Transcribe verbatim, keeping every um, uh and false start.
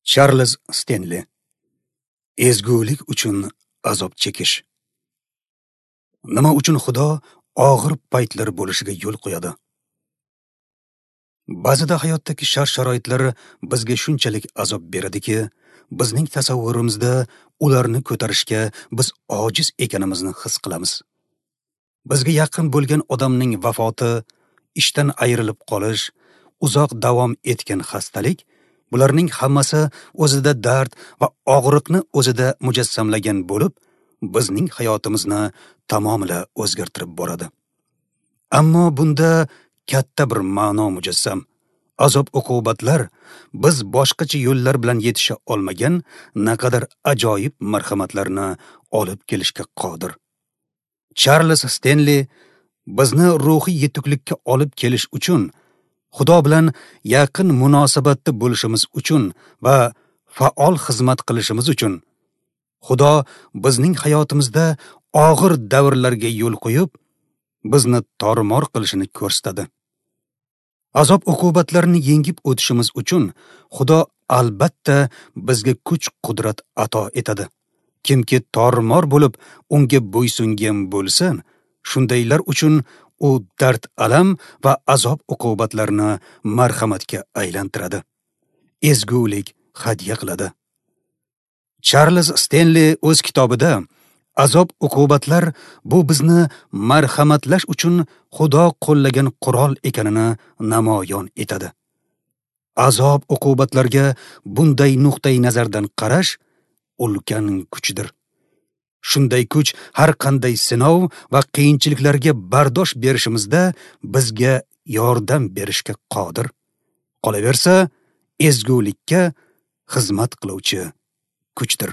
Charles Stenli. Ezgulik uchun azob chekish. Nima uchun Xudo og'ir paytlar bo'lishiga yo'l qo'yadi? Ba'zida hayotdagi shart-sharoitlar bizga shunchalik azob beradiki, bizning tasavvurimizda ularni ko'tarishga biz ojiz ekanimizni his qilamiz. Bizga yaqin bo'lgan odamning vafoti, ishdan ayrilib qolish, uzoq davom etgan xastalik, bularning hammasi o'zida dard va og'riqni o'zida mujassamlagan bo'lib, bizning hayotimizni tamomila o'zgartirib boradi. Ammo bunda katta bir ma'no mujassam. Azob-uqubatlar biz boshqacha yo'llar bilan yetisha olmagan naqadar ajoyib marhamatlarni olib kelishga qodir. Charles Stenli bizni ruhiy yetuklikka olib kelish uchun, Xudo bilan yaqin munosabatda bo'lishimiz uchun va faol xizmat qilishimiz uchun Xudo bizning hayotimizda og'ir davrlarga yo'l qo'yib, bizni tormor qilishini ko'rsatadi. Azob-uqubatlarni yengib o'tishimiz uchun Xudo albatta bizga kuch-qudrat ato etadi. Kimki tormor bo'lib unga bo'ysungan bo'lsa, shundaylar uchun u dard, alam va azob-uqubatlarni marhamatga aylantiradi. Ezgulik hadya qiladi. Charles Stenli o'z kitobida azob-uqubatlar bu bizni marhamatlash uchun Xudo qo'llagan qurol ekanini namoyon etadi. Azob-uqubatlarga bunday nuqtai nazardan qarash ulkan kuchdir. Shunday kuch har qanday sinov va qiyinchiliklarga bardosh berishimizda bizga yordam berishga qodir. Qolaversa, ezgulikka xizmat qiluvchi kuchdir.